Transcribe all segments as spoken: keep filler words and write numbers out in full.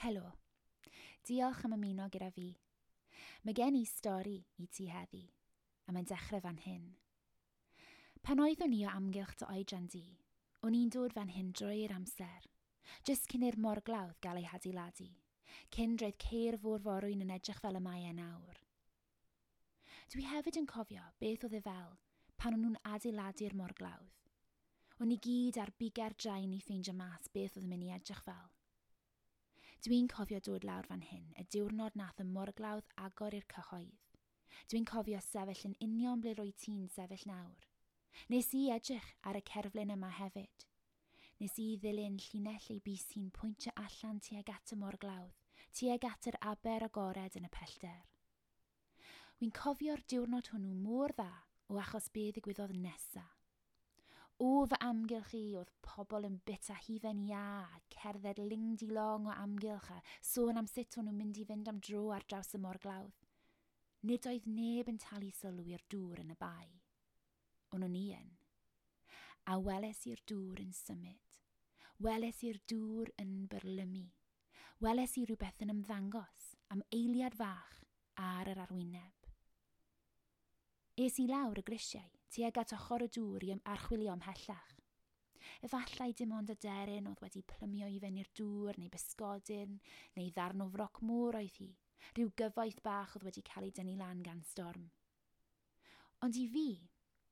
Helo. Diolch am ymuno gyda fi. Mae gen i stori i ti heddi, a mae'n dechrau fan hyn. Pan oeddwn i o amgylch dy oedran di, o'n i'n dod fan hyn drwy'r amser, jyst cyn i'r morglawdd gael ei hadeiladu, cyn roedd ceir fôr-forwyn yn edrych fel y mae e nawr. Dwi hefyd yn cofio beth oedd e fel pan o'n nhw'n adeiladu'r morglawdd. O'n i gyd ar biga'r drain i ffeindio mas beth oedd yn mynd i edrych fel. Dwi'n cofio dod lawr fan hyn, y diwrnod nath y morglawdd agor i'r cyhoedd. Dwi'n cofio sefyll yn union ble rwy ti'n sefyll nawr. Nes i edrych ar y cerflun yma hefyd. Nes i ddilyn llinell ei bys hi'n pwyntio allan tuag at y morglawdd, tuag at yr aber agored yn y pellter. Wy'n cofio'r diwrnod hwnnw mor dda o achos be ddigwyddodd nesa. O fy amgylch i oedd pobl yn bita hufen iâ a cerdded ling-di-long o amgylch a sôn am sut o'n nhw'n mynd i fynd am dro ar draws y morglawdd. Nid oedd neb yn talu sylw i'r dŵr yn y bae. Ond o'n i yn. A weles i'r dŵr yn symud. Weles i'r dŵr yn byrlymu. Weles i rhywbeth yn ymddangos am eiliad fach ar yr arwyneb. Es i lawr y grisiau tuag at ochr y dŵr i archwilio ymhellach. Efallai dim ond aderyn oedd wedi plymio i fyny'r dŵr neu bysgodyn neu ddarn o froc môr oedd hi, rhyw gyfoeth bach oedd wedi cael ei dynnu lan gan storm. Ond i fi,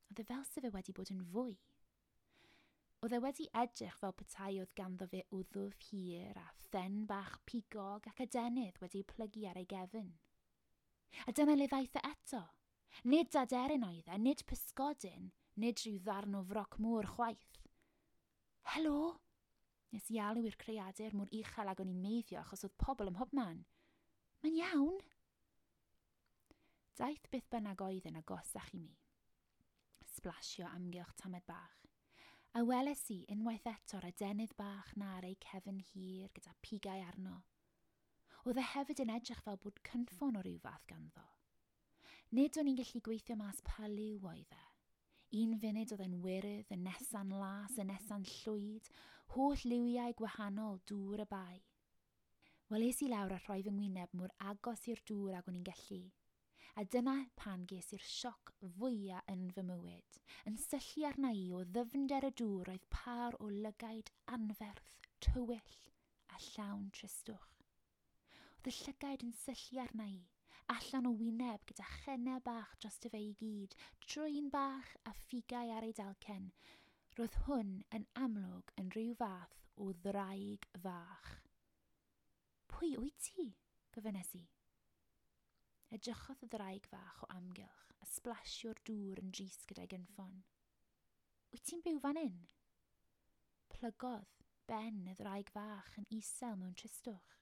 oedd e fel se fe wedi bod yn fwy. Oedd e wedi edrych fel petai oedd ganddo fe wddf hir a phen bach pigog ac adenydd wedi plygu ar ei gefn. A dyna le ddaeth e eto. Nid aderyn oedd e, nid pysgodyn, nid rhyw ddarn o froc môr chwaith. Helo! Nes i alw i'r creadur mor uchel ag o'n i'n meiddio achos oedd pobl ym mhobman. Mae'n iawn. Daeth beth bynnag oedd yn agosach i mi. Sblasio amgylch tamed bach. A weles i unwaith eto'r adenydd bach na ar ei cefn hir gyda pigau arno. Oedd e hefyd yn edrych fel bod cynffon o ryw fath ganddo. Nid o'n i'n gallu gweithio mas pa liw oedd e. Un funud oedd e'n wyrdd, y nesa'n las, y nesa'n llwyd, holl liwiau gwahanol dŵr y bae. Wel, es i lawr a rhoi fy ngwyneb mor agos i'r dŵr ag o'n i'n gallu. A dyna pan ges i'r sioc fwyaf yn fy mywyd. Yn syllu arna i o ddyfnder y dŵr oedd pâr o lygaid anferth, tywyll a llawn tristwch. Oedd y llygaid yn syllu arna i, allan o wyneb gyda chennau bach dros fe i gyd, trwyn bach a phigau ar ei dalcen. Roedd hwn yn amlwg yn rhyw fath o ddraig fach. Pwy wyt ti? Gofynnes i. Edrychodd y ddraig fach o amgylch a sblasio'r dŵr yn drist gyda'i gynffon. Wyt ti'n byw fan hyn? Plygodd ben y ddraig fach yn isel mewn tristwch.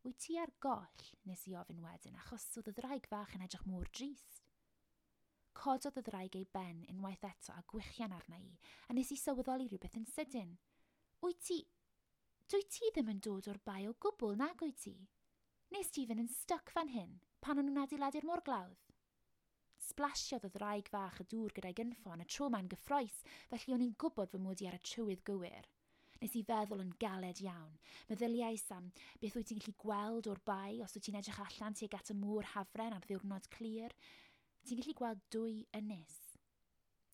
Wyt ti ar goll, nes i ofyn wedyn, achos oedd y ddraig fach yn edrych mor drist. Cododd y ddraig ei ben unwaith eto a gwichian arna i, a nes i sylweddoli rhywbeth yn sydyn. Wyt ti... Dwyt ti ddim yn dod o'r bae o gwbl, nag wyt ti? Nes ti fynd yn styc fan hyn, pan o'n nhw'n adeiladu'r morglawdd? Sblasiodd y ddraig fach y dŵr gyda'i gynffon, y tro ma'n gyffrous, felly o'n i'n gwybod fy mod i ar y trywydd gywir. Nes i feddwl yn galed iawn. Meddyliais am beth wyt ti'n gallu gweld o'r bae os wyt ti'n edrych allan tuag at y môr Hafren ar ddiwrnod clir. Ti'n gallu gweld dwy ynys.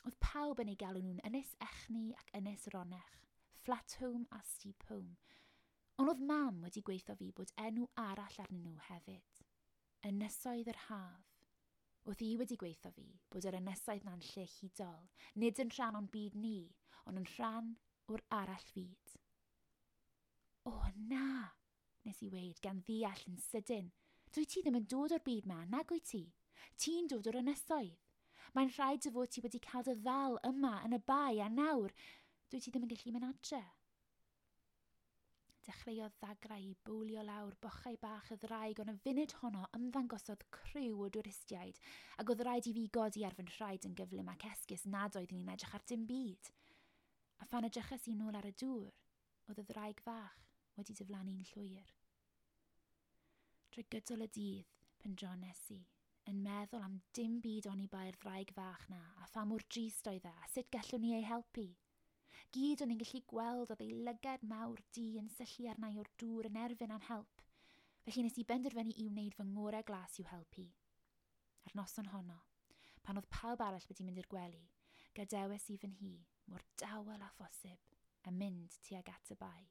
Oedd pawb yn ei galw nhw'n Ynys Echni ac Ynys Ronech, Flat Home a Steep Home. Ond oedd mam wedi gweithio fi bod enw arall arnyn nhw hefyd. Ynysoedd yr Haf. Oedd hi wedi gweithio fi bod yr ynysoedd na'n lle hudol, nid yn rhan o'n byd ni, ond yn rhan o'r arall fyd. O na, nes i weud gan ddeall yn sydyn. Dwyt ti ddim yn dod o'r byd ma, nag wyt ti? Ti'n dod o'r ynysoedd. Mae'n rhaid dy fod ti wedi cael dy ddal yma yn y bae a nawr dwyt ti ddim yn gallu mynd adre. Dechreuodd ddagrau i bowlio lawr bochau bach y ddraig, ond y funud honno ymddangosodd criw o dwristiaid, ac oedd rhaid i fi godi ar fy nhraed yn gyflym ac esgus nad oeddwn i'n edrych ar dim byd. A phan edrychais i nôl ar y dŵr, oedd y ddraig fach wedi diflannu'n llwyr. Drwy gydol y dydd, pendrones i, yn meddwl am dim byd oni bai'r ddraig fach na, a pha mor drist oedd e, a sut gallwn ni ei helpu. Gyd o'n i'n gallu gweld oedd ei lygad mawr du yn syllu arna i o'r dŵr yn erfyn am help. Felly nes i benderfynu i wneud fy ngorau glas i'w helpu. Ar noson honno, pan oedd pawb arall wedi mynd i'r gwely, gadewes i fy nhŷ, mor dawel â phosib, a mynd tuag at y bae.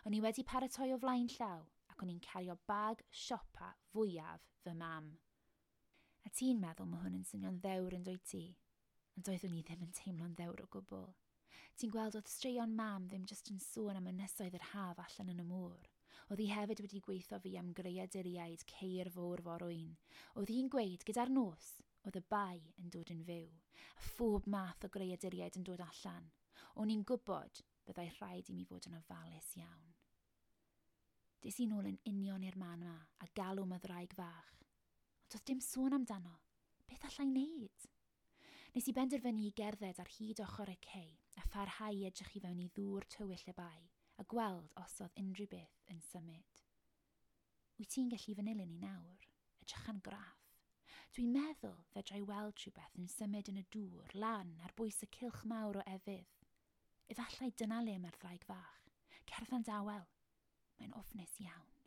O'n i wedi paratoi o flaen llaw ac o'n i'n cario bag siopa fwyaf fy mam. A ti'n meddwl mae hwn yn swnio'n ddewr yn dwyt ti? Ond doeddwn i ddim yn teimlo'n ddewr o gwbl. Ti'n gweld oedd straeon mam ddim jyst yn sôn am ynysoedd yr haf allan yn y môr. Oedd hi hefyd wedi gweithio fi am greaduriaid ceir fôr forwyn. Oedd hi'n gweud gyda'r nos, oedd y bae yn dod yn fyw, a phob math o greaduriaid yn dod allan. O'n i'n gwybod byddai rhaid i mi fod yn ofalus iawn. Des i nôl yn union i'r man yma a galw am y ddraig fach. Ond doedd dim sôn amdano. Beth allai wneud? Nes i benderfynu i gerdded ar hyd ochr y cei a pharhau i edrych i fewn i ddŵr tywyll y bae a gweld os oedd unrhyw beth yn symud. Wyt ti'n gallu fy nilyn i nawr? Edrycha'n graff. Dwi'n meddwl fedra i weld rhywbeth yn symud yn y dŵr lan ar bwys y cylch mawr o efydd. Efallai dyna le mae'r ddraig fach. Cerdda'n dawel. Mae'n ofnus iawn.